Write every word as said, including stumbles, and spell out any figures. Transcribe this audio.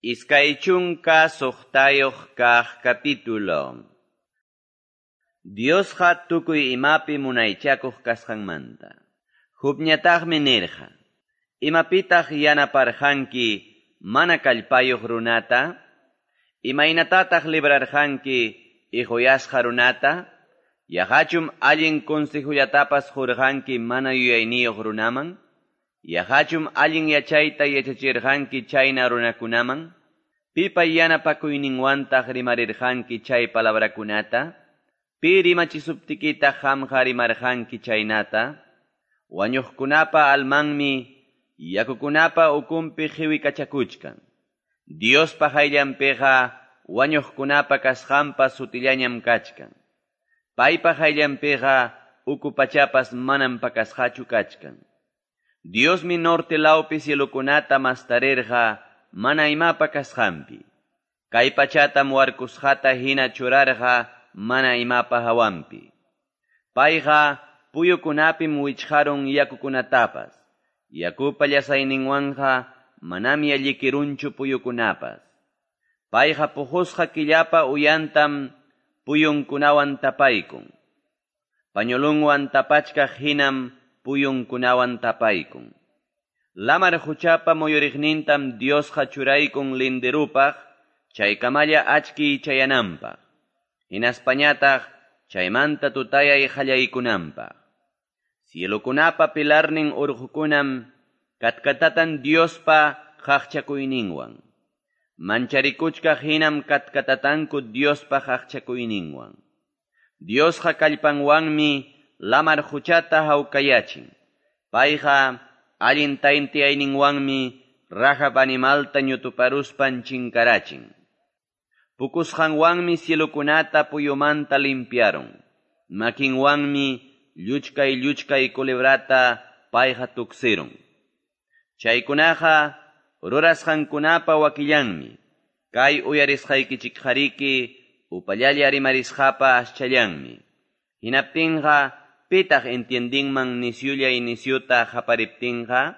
Iskay chunka suqtayuq kaq capítulo. Diosqa tukuy imapi munaychakuq kasqanmanta. Jobñataqmi nirqa: Imapitaq yanaparqanki mana kallpayuq runata? Imaynatataq librarqanki iquyasqa runata? Yaqachum allin consejollatapas qurqanki mana yuyayniyuq runaman? Yaqachum allin yachayta yachachirqanki chayna runakunaman? Pipa yanapakuyninwantaq rimarirqanki chay palabrakunata? Pi rimachisuptikitaq qamqa rimarqanki chaynata? Wañuqkunapa almanmi yakukunapa ukunpi qiwikachakuchkan. Diospa qayllanpiqa wañuqkunapa kasqanpas sutillañam kachkan. Paypa qayllanpiqa uku pachapas manam pakasqachu kachkan. Diosmi norte lawpi cielokunata mastarirqa mana imapa kasqanpi. Kay pachatam warkusqata hina churarqa mana imapa hawanpi. Payqa puyukunapim wichqarun yakukunatapas. Yakupa llasayninwanqa manam yallikirunchu puyukunapas. Payqa puqusqa killapa uyantam puyunkunawan tapaykun. Pañolunwan tapachkaq hinam puyunkunawan tapaykun. Lamar quchapa muyuriqnintam Diosqa churaykun linderupaq, chaykamalla achkiy chayananpaq. Hinaspañataq chaymanta tutayay qallaykunanpaq. Cielokunapa pilarnin urqukunam katkatatan Diospa qaqchakuyninwan. Mancharikuchkaq hinam katkatatanku Diospa qaqchakuyninwan. Diosqa kallpanwanmi lamar quchata hawkayachin. Payqa allin tayntiyayninwanmi Rahab animalta ñutuparuspan chinkarachin. Pukusqanwanmi cielokunata puyumanta limpiarun. Makinwanmi lluchkay lluchkay culebrata payqa tuksirun. Chaykunaqa rurasqankunapa wakillanmi. Kay uyarisqaykichikqariki upallalla rimarisqapa aschallanmi. Hinaptinqa pitaq entiendinman nisyulla nisyuta qapariptinqa?